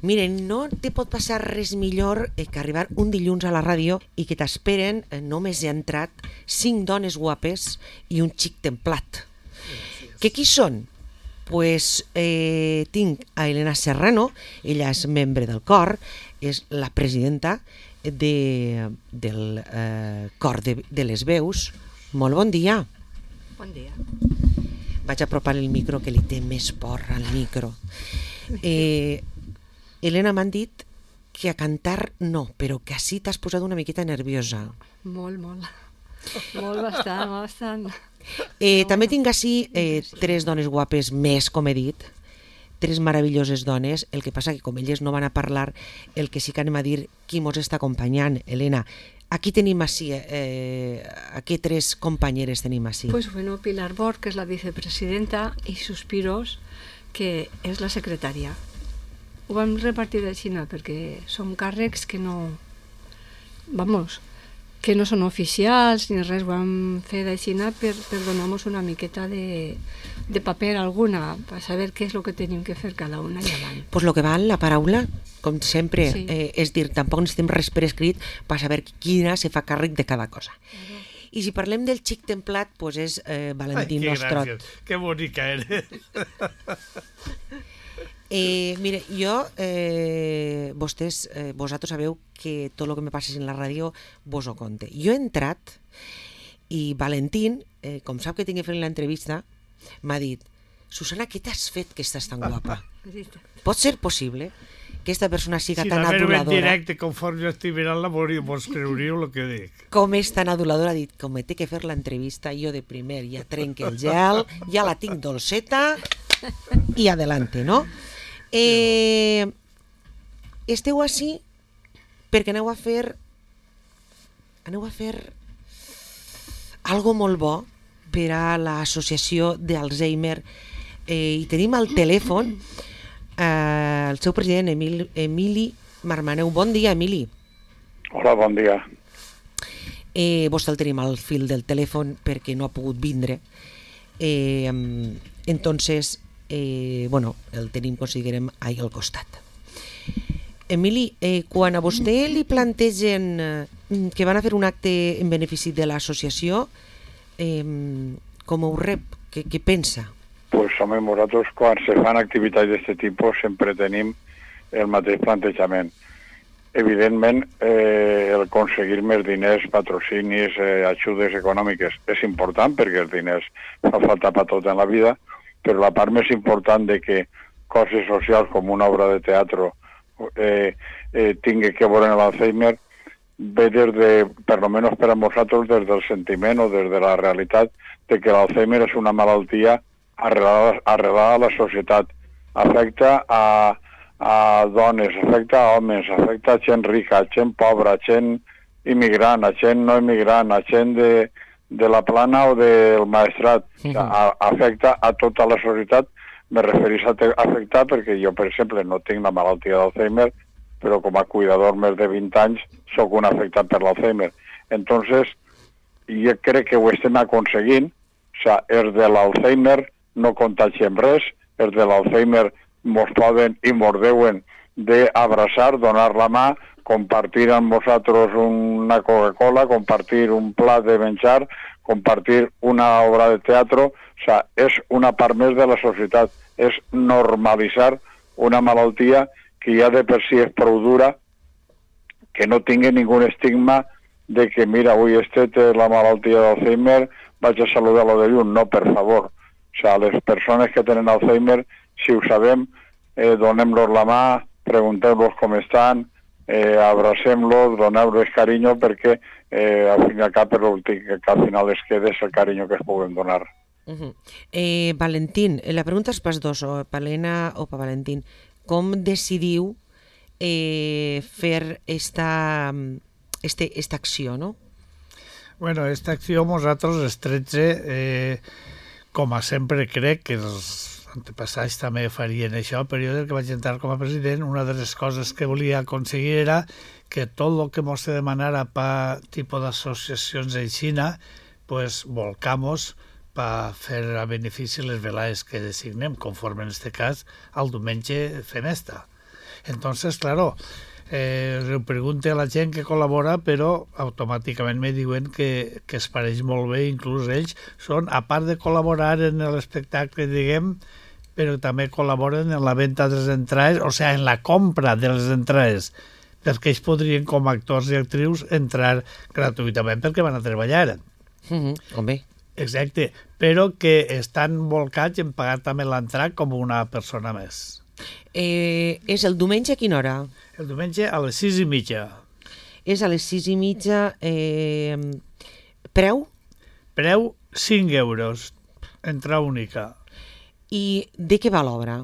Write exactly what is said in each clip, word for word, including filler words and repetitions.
Miren, no te pot passar res millor que arribar un dilluns a la ràdio i que t'esperen, només he entrat, cinc dones guapes i un xic templat. Que qui són? Pues eh, tinc a Elena Serrano, ella és membre del cor, és la presidenta de, del eh, cor de, de les veus. Molt bon dia. Bon dia. Vaig apropar el micro, que li té més porra al micro. Eh, Elena, m'han dit que a cantar no, però que així t'has posat una miqueta nerviosa. Molt, molt. Molt, bastant, bastant. Eh, no, també tinc així eh, tres dones guapes més, com he dit, tres meravelloses dones. El que passa que com elles no van a parlar, el que sí que anem a dir qui mos està acompanyant. Elena, aquí tenim així, eh, aquí tres companyeres tenim així. Pues bueno, Pilar Bort, que és la vicepresidenta, i Suspiros, que és la secretària. Ho vam repartir de Xina perquè són càrrecs que no... Vamos, que no són oficials ni res, ho vam fer de Xina per, per donar-nos una miqueta de, de paper alguna, per saber què és el que tenim que fer cada una i avant. Pues lo que val la paraula, com sempre, Sí. eh, és dir, tampoc necessitem res per escrit per saber quina se fa càrrec de cada cosa. Claro. I si parlem del xic templat, pues és eh, Valentín Ai, que Nostrot. gràcies, que bonica eres. Eh, mire, jo, eh, vostès, eh, vosaltres sabeu que tot el que me passes en la ràdio vos ho conte. Jo he entrat i Valentín, eh, com sap que tinc que fer l'entrevista, m'ha dit: Susana, què t'has fet que estàs tan guapa? Pot ser possible que aquesta persona siga Si tan la veure en aduladora? directe, conforme jo estic mirant-la, vos creuríeu el que dic. Com és tan aduladora? Ha dit, com me té que fer l'entrevista, jo de primer ja trenque el gel, ja la tinc dolceta i adelante, no? Eh, esteu així perquè aneu a fer aneu a fer algo molt bo per a l'associació d'Alzheimer, eh, i tenim al telèfon eh, el seu president, Emil, Emili Marmaneu. Bon dia, Emili. Hola, bon dia. Eh, vostè el tenim al fil del telèfon perquè no ha pogut vindre. Eh, entonces, eh, bueno, el tenim, considerem, ahí al costat. Emili, eh, quan a vostè li plantegen eh, que van a fer un acte en benefici de l'associació, eh, com ho rep? Què, què pensa? Pues home, nosaltres quan se fan activitats d'aquest tipus sempre tenim el mateix plantejament. Evidentment, eh, el aconseguir més diners, patrocinis, eh, ajudes econòmiques és important perquè els diners fa falta per tot en la vida, però la part més important de que coses socials com una obra de teatre eh, eh, tingui que veure en l'Alzheimer ve des de, per lo menos per a nosaltres, des del sentiment o des de la realitat de que l'Alzheimer és una malaltia arrelada, arrelada a la societat. Afecta a, a dones, afecta a homes, afecta a gent rica, a gent pobra, a gent immigrant, a gent no immigrant, a gent de, de la plana o del maestrat. O sea, a, afecta a tota la societat. Me referís a afectar perquè jo, per exemple, no tinc la malaltia d'Alzheimer, però com a cuidador més de vint anys sóc un afectat per l'Alzheimer. Entonces, jo crec que ho estem aconseguint. O sea, els de l'Alzheimer no contagiem res, els de l'Alzheimer mos poden i mos deuen d'abraçar, donar la mà, compartir amb nosaltres una Coca-Cola, compartir un plat de menjar, compartir una obra de teatre. O sea, és una part més de la societat, és normalitzar una malaltia que ja de per si és prou dura, que no tingui ningú estigma de que, mira, avui este té la malaltia d'Alzheimer, vaig a saludar-lo de lluny. No, per favor. O sea, les persones que tenen Alzheimer, si ho sabem, eh, donem-los la mà, preguntem-los com estan, eh, abracem-los, donem-los carinyo, perquè eh, al fin i al cap l'últim que al final es queda és el carinyo que es puguem donar. Uh-huh. eh, Valentín, la pregunta és pas dos, o per Helena o per Valentín. Com decidiu eh, fer esta, este, esta acció, no? Bueno, esta acció nosaltres els tretze, eh, com a sempre crec que els antepassats també farien això, però jo del que vaig entrar com a president, una de les coses que volia aconseguir era que tot el que mos demanara per tipus d'associacions en Xina, pues volcamos per fer a benefici les velades que designem, conforme en aquest cas al diumenge fem esta. Entonces, claro, eh, ho pregunte a la gent que col·labora, però automàticament me diuen que, que es pareix molt bé, inclús ells són, a part de col·laborar en l'espectacle, diguem, però també col·laboren en la venda de les entrades, o sigui, en la compra de les entrades, perquè ells podrien, com a actors i actrius, entrar gratuïtament perquè van a treballar. Mm-hmm. Home. Exacte, però que estan volcats en pagar també l'entrada com una persona més. Eh, és el diumenge a quina hora? El diumenge a les sis i mitja. És a les sis i mitja. Eh, preu? Preu cinc euros, entrada única. I de què va l'obra?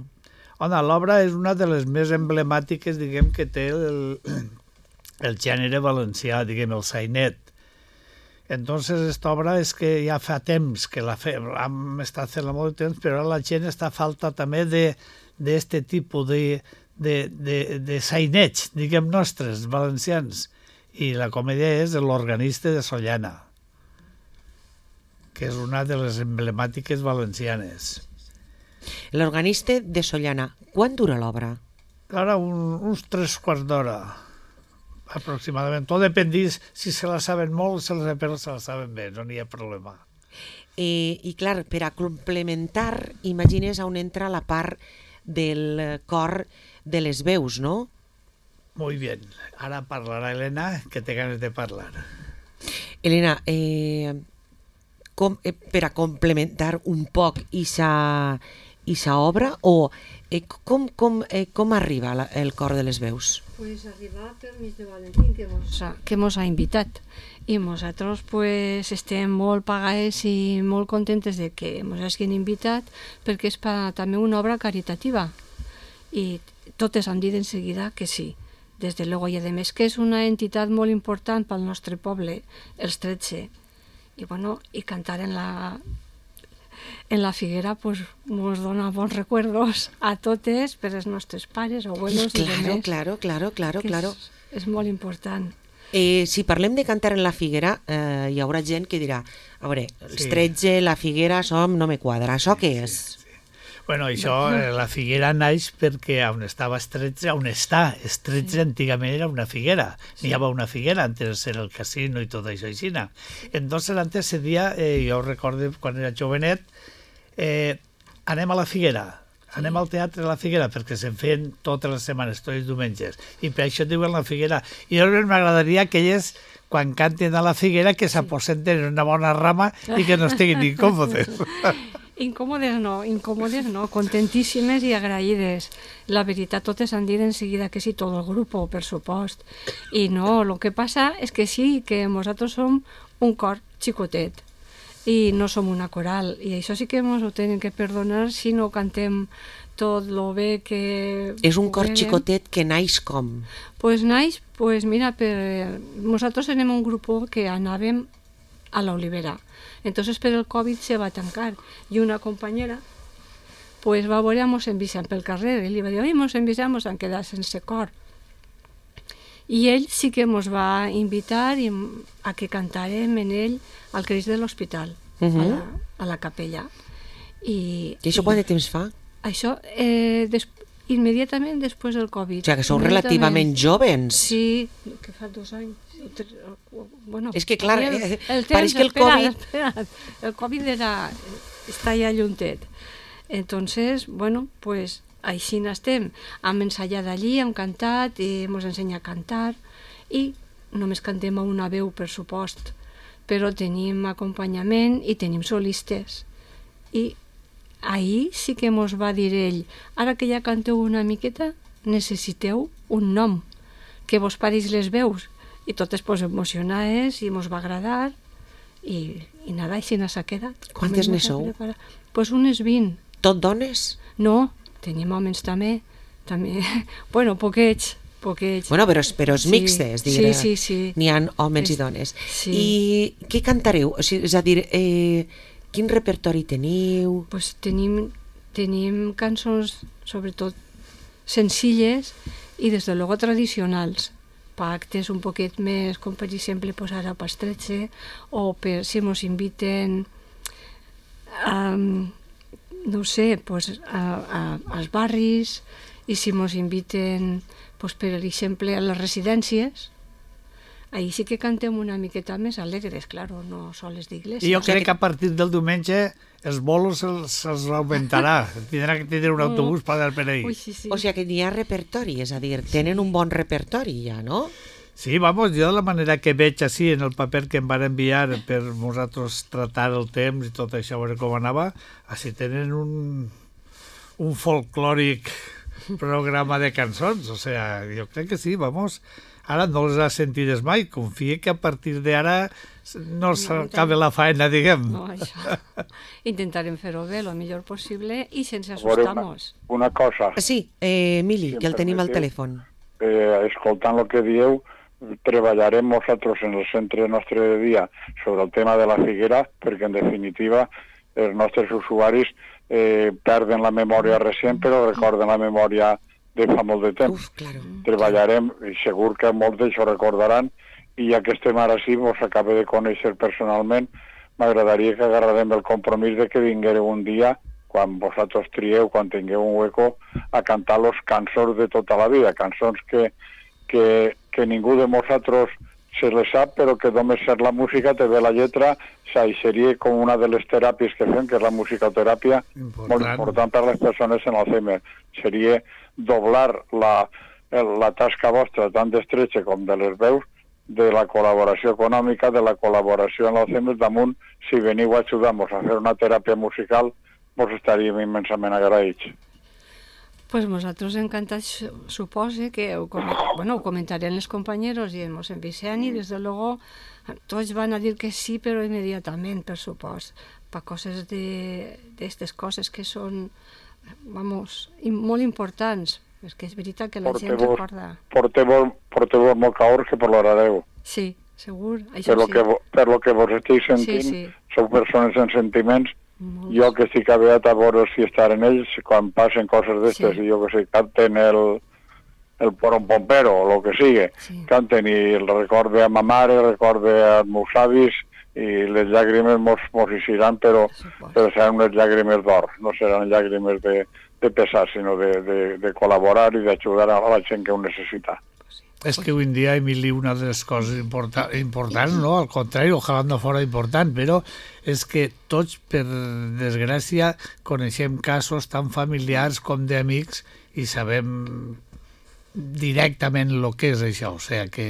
Home, l'obra és una de les més emblemàtiques, diguem, que té el, el gènere valencià, diguem, el sainet. Entonces, esta obra és que ja fa temps que la fem, hem estat fent-la molt de temps, però la gent està a falta també de d'este tipus de, de, de, de sainets, diguem, nostres, valencians. I la comèdia és l'organista de Sollana, que és una de les emblemàtiques valencianes. L'organista de Sollana. Quan dura l'obra? Ara un, uns tres quarts d'hora, aproximadament. Tot dependís si se la saben molt, se la, però se la saben bé, no n'hi ha problema. Eh, I clar, per a complementar, imagines on entra la part del cor de les veus, no? Muy bien. Ara parlarà Elena, que té ganes de parlar. Elena, eh, com, eh, per a complementar un poc ixa, ixa obra, o eh, com, com, eh, com arriba la, el cor de les veus? Pues arribar per mig de Valentín, que mos ha, que mos ha invitat. I nosaltres pues, estem molt pagades i molt contentes de que ens hagin invitat, perquè és pa, també una obra caritativa. I totes han dit en seguida que sí. Des de luego, i a més que és una entitat molt important pel nostre poble, els tretze. I, bueno, i cantar en la, en la Figuera pues, ens dona bons recuerdos a totes, per els nostres pares, abuelos i claro, demés. Claro, claro, claro, claro. És, és molt important. Eh, si parlem de cantar en la Figuera, eh, hi haurà gent que dirà, a veure, els Sí. tretze, la Figuera, som, no me quadra. Això què és? Sí, sí. Bueno, això, eh, la Figuera naix perquè on estava Estretze, on està Estretze, sí. Antigament era una figuera. Sí. N'hi havia una figuera, antes era el casino i tot això així. Entonces, antes se dia, eh, jo recordo quan era jovenet, eh, anem a la Figuera, anem al teatre a la Figuera, perquè se'n feien totes les setmanes, tots els diumenges, i per això diuen la Figuera. I a mi m'agradaria que elles, quan canten a la Figuera, que s'aposenten en una bona rama i que no estiguin incòmodes. Incòmodes no, incòmodes no, contentíssimes i agraïdes. La veritat, totes han dit en seguida que sí, tot el grup, per supost. I no, el que passa és que sí, que nosaltres som un cor xicotet i no som una coral, i això sí que ens ho tenen que perdonar si no cantem tot lo bé que... És un cor puguem. xicotet que naix com? Pues naix, pues mira, per... nosaltres tenim un grup que anàvem a l'Olivera. Entonces per el Covid se va tancar i una companyera pues va veure mos envixant pel carrer i li va dir, oi, mos envixant, mos han quedat sense cor. I ell sí que mos va invitar i a que cantàrem en ell al Crist de l'Hospital, uh -huh. a, la, a la capella. I, I això i, quant de temps fa? Això, eh, des, immediatament després del Covid. O sigui que sou relativament jóvens. Sí, que fa dos anys. Bueno, és que clar, el, eh, el temps, pareix que el espera, Covid... Espera, el Covid era, està ja lluntet. Entonces, bueno, pues així n'estem. Hem ensaiat allí, hem cantat, i ens ensenya a cantar, i només cantem a una veu, per supost, però tenim acompanyament i tenim solistes. I ahir sí que mos va dir ell, ara que ja canteu una miqueta, necessiteu un nom, que vos pareix les veus. I totes pues, emocionades, i mos va agradar, i, i nada, així s'ha quedat. Quantes ne sou? Pues unes vint. Tot dones? No, tenim homes també, també, bueno, poquets, poquets. Bueno, però, però és Sí, mixtes, diré. sí, sí, sí. N'hi ha homes i És- dones. sí. I què cantareu? O sigui, és a dir, eh, quin repertori teniu? Pues tenim, tenim cançons, sobretot, senzilles i, des de luego, tradicionals. Pactes un poquet més, com per exemple, pues ara pas tretze, o per si mos inviten a, no sé, pues, a, a, als barris i si ens inviten, pues, per exemple, a les residències, ahí sí que cantem una miqueta més alegres, claro, no soles d'iglesia. I jo crec que a partir del diumenge els bolos se'ls, se'ls augmentarà. Tindrà que tenir un autobús per anar per ahí. Ui, sí, sí. O sigui que n'hi ha repertori, és a dir, tenen un bon repertori ja, no? Sí, vamos, jo de la manera que veig així en el paper que em van enviar per nosaltres tratar el temps i tot això, a veure com anava, així tenen un, un folclòric programa de cançons, o sea, jo crec que sí, vamos, ara no les has sentides mai, confia que a partir d'ara no s'acabe la faena, diguem. No, això. Intentarem fer-ho bé, el millor possible, i sense A veure, assustar-nos. Una, una cosa, Sí, eh, Emili, Si que el em tenim al permeteu. telèfon. eh, escoltant el que dieu, treballarem nosaltres en el centre nostre de dia sobre el tema de la figuera, perquè en definitiva els nostres usuaris eh, perden la memòria recent, però recorden la memòria de fa molt de temps. Uf, claro. Treballarem, i segur que molts d'això recordaran, i ja que estem ara sí, vos acabo de conèixer personalment, m'agradaria que agarrarem el compromís de que vinguereu un dia, quan vosaltres trieu, quan tingueu un hueco, a cantar los cançons de tota la vida, cançons que, que, que ningú de nosaltres se les sap, però que només ser la música te ve la lletra, i seria com una de les teràpies que fem, que és la musicoteràpia, Important. molt important per a les persones en Alzheimer. Seria doblar la, la tasca vostra, tant d'estretxa com de les veus, de la col·laboració econòmica, de la col·laboració en l'Alzheimer, damunt, si veniu a ajudar-nos a fer una teràpia musical, vos estaríem immensament agraïts. Pues nosaltres encantats, supose que ho, com, bueno, ho comentarán los compañeros y ens envician, y desde luego tots van a dir que sí, però immediatament, per supost, per coses de d'aquestes coses que són, vamos, i molt importants, és que és veritat que la gent Porteu-vos recorda. porteu, porteu molt caors que plorareu. Sí, segur, això Per lo, sí. que, vo- per lo que vos estic sentint, Sí, sí. sou persones amb sentiments. Molts. Jo que estic aviat a veure si estar en ells, quan passen coses d'estes, Sí. i jo que sé, canten el, el poron pompero, o el que sigui, Sí. canten i el recorde a ma mare, recorde als meus avis, i les llàgrimes mos, mos eixiran, però, Per supost. però seran unes llàgrimes d'or, no seran llàgrimes de, de pesar, sinó de, de, de col·laborar i d'ajudar a la gent que ho necessita. És que avui en dia, Emili, una de les coses importa, importants, no? Al contrari, ojalà no fora important, però és que tots, per desgràcia, coneixem casos tan familiars com d'amics i sabem directament el que és això. O sigui que,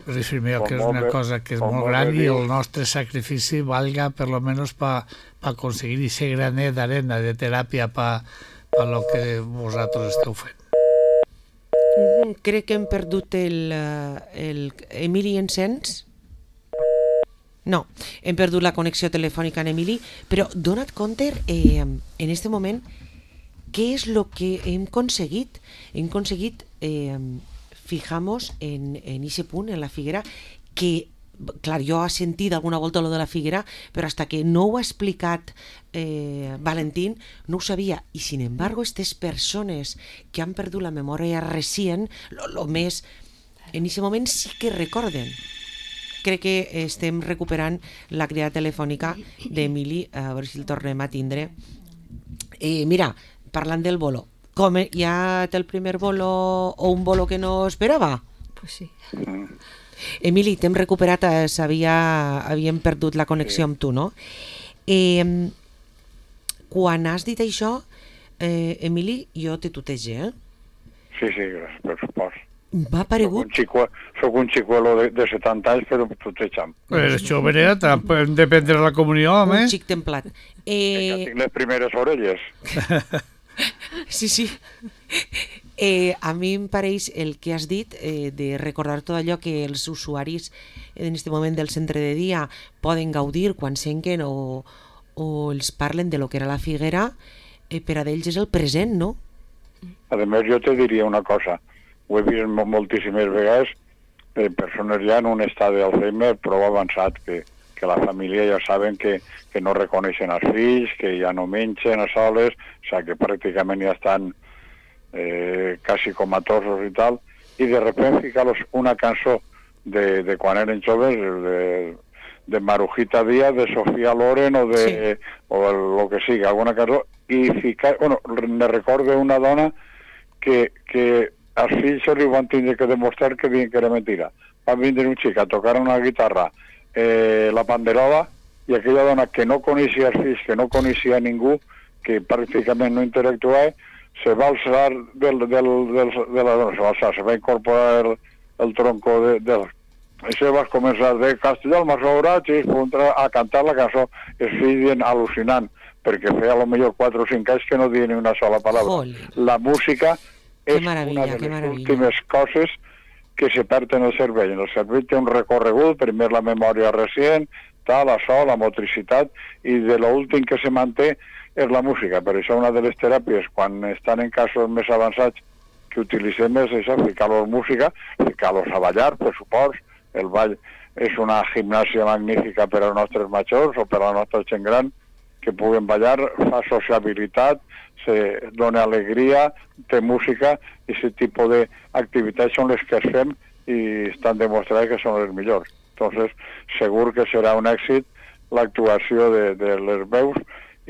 reafirmeu que és una cosa que és molt gran i el nostre sacrifici valga per lo menos per pa aconseguir aquest granet d'arena de teràpia per pa lo que vosaltres esteu fent. Mm, Crec que hem perdut el, eh, el... Emili, ens sents? No, hem perdut la connexió telefònica en Emili, però dona't compte eh, en este moment què és el que hem aconseguit. Hem aconseguit eh, fijamos en, en ese punt, en la figuera, que, clar, jo he sentit alguna volta lo de la figuera, però hasta que no ho ha explicat eh, Valentín, no ho sabia. I, sin embargo, aquestes persones que han perdut la memòria recient, lo, lo més, en aquest moment sí que recorden. Crec que estem recuperant la cridada telefònica d'Emili, a veure si el tornem a tindre. Eh, mira, parlant del bolo, com hi ha el primer bolo o un bolo que no esperava? Pues sí. Emili, t'hem recuperat, eh, sabia, havíem perdut la connexió amb tu, no? Eh, quan has dit això, eh, Emili, jo te tutege, eh? Sí, sí, gràcies, per supost. M'ha Soc un, paregut... xicue, soc un xicuelo de, de setanta anys, però tutejant. Però això, veret, hem de prendre la comunió, home. Un xic templat. Ja Eh, tinc les primeres orelles. sí, sí. Eh, a mi em pareix el que has dit eh, de recordar tot allò que els usuaris en aquest moment del centre de dia poden gaudir quan senten o, o els parlen de lo que era la figuera, eh, per a d'ells és el present, no? A més, jo te diria una cosa. Ho he vist mo- moltíssimes vegades, eh, persones ja en un estat d'Alzheimer prou avançat, que, que la família ja saben que, que no reconeixen els fills, que ja no mengen a soles, o sigui que pràcticament ja estan eh, quasi comatosos i tal, i de repente ficar-los una cançó de, de quan eren joves, de, de Marujita Díaz, de Sofía Loren o de Sí. o el, lo que sigui, alguna cançó, i ficar, bueno, me recordo una dona que, que als fills se li van tindre que demostrar que diuen que era mentira. Va vindre un xic a tocar una guitarra, eh, la panderola, i aquella dona que no coneixia els fills, que no coneixia ningú, que pràcticament no interactuava, se va alçar del, del, del, de la dona, se va alçar, se va incorporar el, el tronco de, del... I se va començar de Castelló, el Massobrat, i a cantar la cançó. Els fills dient al·lucinant, perquè feia a lo millor quatre o cinc anys que no deia ni una sola paraula. Jolín. La música és una de que les últimes coses que se perd en el cervell. En el cervell té un recorregut, primer la memòria recent, tal, la so, la motricitat, i de l'últim que se manté és la música. Per això una de les teràpies, quan estan en casos més avançats, que utilitzem és això, ficar-los música, ficar-los a ballar, per supost. El ball és una gimnàsia magnífica per als nostres majors o per a la nostra gent gran, que puguen ballar, fa sociabilitat, se dona alegria, té música, i aquest tipus d'activitats són les que es fem i estan demostrades que són les millors. Entonces, segur que serà un èxit l'actuació de, de les veus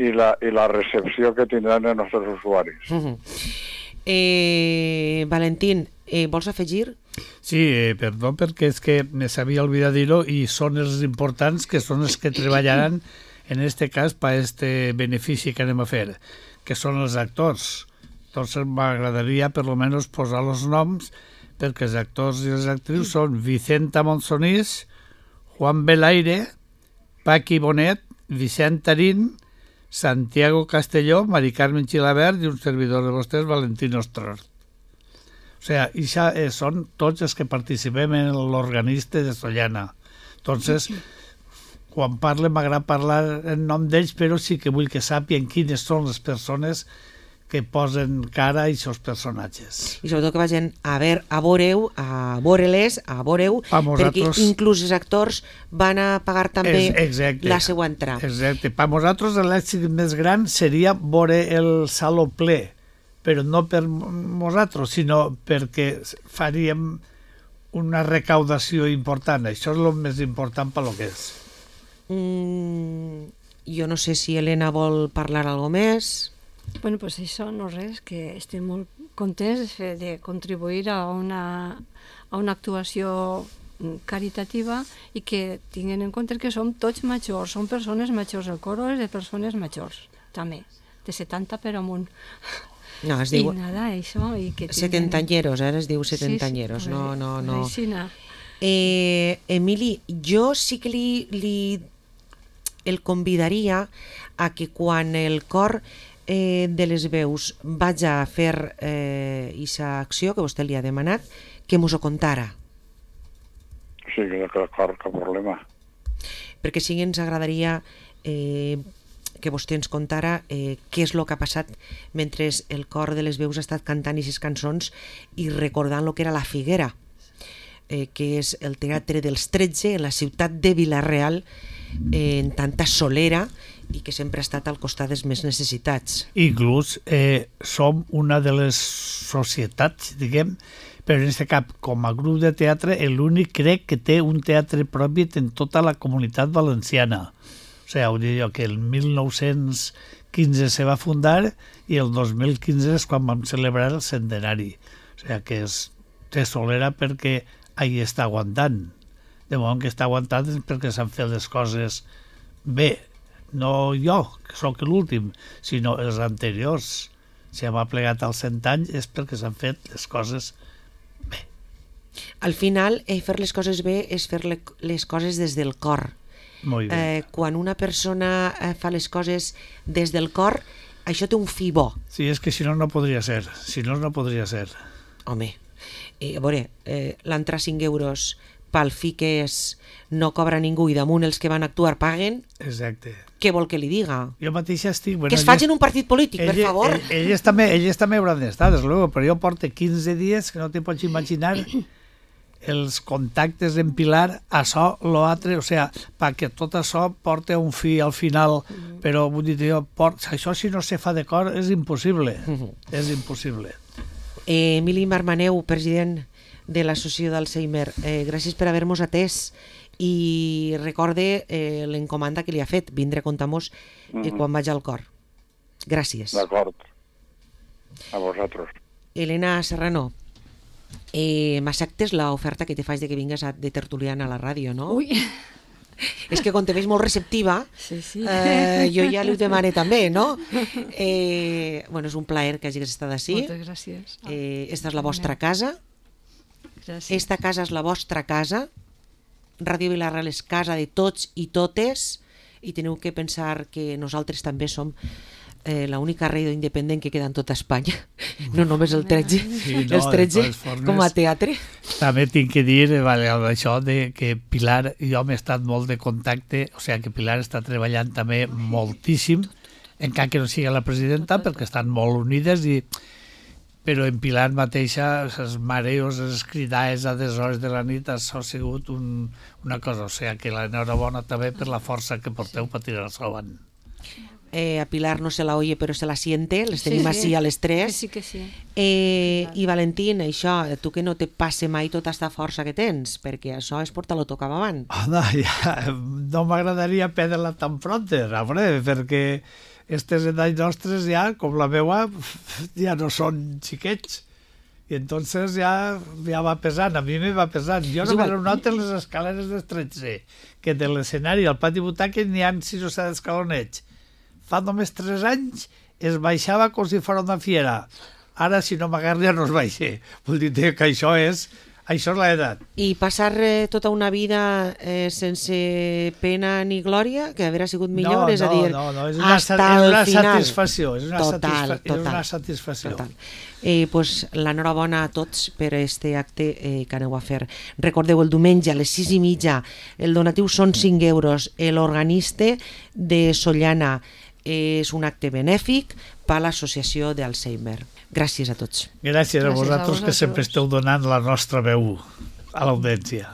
i la, i la recepció que tindran els nostres usuaris. Uh-huh. eh, Valentín, eh, vols afegir? Sí, eh, perdó, perquè és que me s'havia oblidat dir-ho i són els importants que són els que treballaran en este cas per este benefici que anem a fer, que són els actors. Entonces m'agradaria per lo menos posar els noms, perquè els actors i les actrius són Vicenta Monsonís, Juan Belaire, Paqui Bonet, Vicent Tarín, Santiago Castelló, Mari Carmen Xilabert i un servidor de vostès, Valentín Ostrort. O sigui, això eh, són tots els que participem en l'organista de Sollana. Entonces, quan parle m'agrada parlar en nom d'ells, però sí que vull que sàpien quines són les persones que posen cara a aquests personatges. I sobretot que vagin a veure, a veure-ho, a veure-les, a veure-ho, perquè inclús els actors van a pagar també la seva entrada. Exacte. Per nosaltres l'èxit més gran seria veure el saló ple, però no per nosaltres, sinó perquè faríem una recaudació important. Això és el més important per lo que és. Mm, jo no sé si Helena vol parlar alguna més. Bueno, pues això no res, que estem molt contents de contribuir a una, a una actuació caritativa i que tinguin en compte que som tots majors, som persones majors, el coro és de persones majors, també, de setanta per amunt. No, es diu... I nada, això... I que setentanyeros, eh? Es diu setentanyeros, sí, sí, no, no, no. Aixina. Eh, Emili, jo sí que li, li el convidaria a que quan el cor eh, de les veus vaig a fer aquesta eh, acció que vostè li ha demanat, que mos ho contara. Sí, que d'acord, cap problema. Perquè sí que ens agradaria eh, que vostè ens contara eh, què és el que ha passat mentre el cor de les veus ha estat cantant aquestes cançons i recordant el que era la Figuera, eh, que és el teatre dels tretze en la ciutat de Vila-real, eh, en tanta solera, i que sempre ha estat al costat dels més necessitats. Inclús eh, som una de les societats, diguem, però en aquest cap, com a grup de teatre, l'únic crec que té un teatre propi en tota la comunitat valenciana. O sigui, ho dic jo, que el mil nou-cents quinze se va fundar i el dos mil quinze és quan vam celebrar el centenari. O sigui, que és té solera perquè ahí està aguantant. De moment que està aguantant és perquè s'han fet les coses bé. No jo, que sóc l'últim, sinó els anteriors. Si hem aplegat als cent anys és perquè s'han fet les coses bé. Al final, eh, fer les coses bé és fer les coses des del cor. Molt bé. Eh, quan una persona eh, fa les coses des del cor, això té un fi bo. Sí, és que si no, no podria ser. Si no, no podria ser. Home, eh, a veure, eh, l'entrar cinc euros pel fi que és no cobra ningú i damunt els que van actuar paguen. Exacte. Què vol que li diga? Jo mateix estic... Bueno, que es facin un partit polític, ell, per favor. Ell, elles també, elles també hauran d'estar, des luego, però jo porto quinze dies que no te pots imaginar els contactes en Pilar, això, l'altre, o sigui, perquè tot això porta un fi al final, però vull dir, jo, port, això si no se fa de cor és impossible, és impossible. Eh, Emili Marmaneu, president de l'associació d'Alzheimer, eh, gràcies per haver-nos atès i recorde eh, l'encomanda que li ha fet, vindre a comptar-nos eh, quan vaig al cor. Gràcies. D'acord. A vosaltres. Elena Serrano, eh, m'acceptes l'oferta que te faig de que vingues a, de tertuliana a la ràdio, no? Ui, És que com te veig molt receptiva, sí, sí. eh, jo ja li ho demane també, no? Eh, bueno, és un plaer que hagis estat així. Moltes gràcies. Eh, esta és la vostra casa. Gràcies. Esta casa és la vostra casa. Ràdio Vila-real és casa de tots i totes, i teniu que pensar que nosaltres també som eh, l'única ràdio independent que queda en tota Espanya, no només el tretze, Sí, no, els tretze de totes formes, com a teatre. També tinc que dir, eh, vale, això de que Pilar i jo hem estat molt de contacte, o sigui que Pilar està treballant també moltíssim, encara que no sigui la presidenta, perquè estan molt unides, i però en Pilar mateixa, els mareos, les cridades a des hores de la nit, això ha sigut un, una cosa, o sigui que l'enhorabona també per la força que porteu per tirar-se avant. Eh, a Pilar no se la oye però se la siente, les Sí, tenim sí. així a les Que tres. sí, que sí. Eh, I Valentín, això, tu que no te passe mai tota aquesta força que tens, perquè això és portar-lo tot cap avant. Home, ja, no m'agradaria perdre-la tan pronta, home, perquè aquestes edats nostres ja, com la meva, ja no són xiquets. I entonces ja, ja va pesant, a mi me va pesant. Jo És no me igual. noto en les escaleres del tretze, que de l'escenari al pati butaques n'hi ha sis o set escalonets. Fa només tres anys es baixava com si fos una fiera. Ara, si no m'agarra, ja no es baixa. Vull dir que això és, això és l'edat. I passar eh, tota una vida eh, sense pena ni glòria, que haver sigut millor, no, és a dir, no, no, és una, hasta és una el final. satisfacció, és una, Total, satisfa és total. una satisfacció. Total. Eh, pues, l'enhorabona a tots per este acte eh, que aneu a fer. Recordeu, el diumenge a les sis i mitja, el donatiu són cinc euros, l'organista de Sollana és un acte benèfic per a l'associació d'Alzheimer. Gràcies a tots. Gràcies a Gràcies a vosaltres que vosaltres. sempre esteu donant la nostra veu a l'audiència.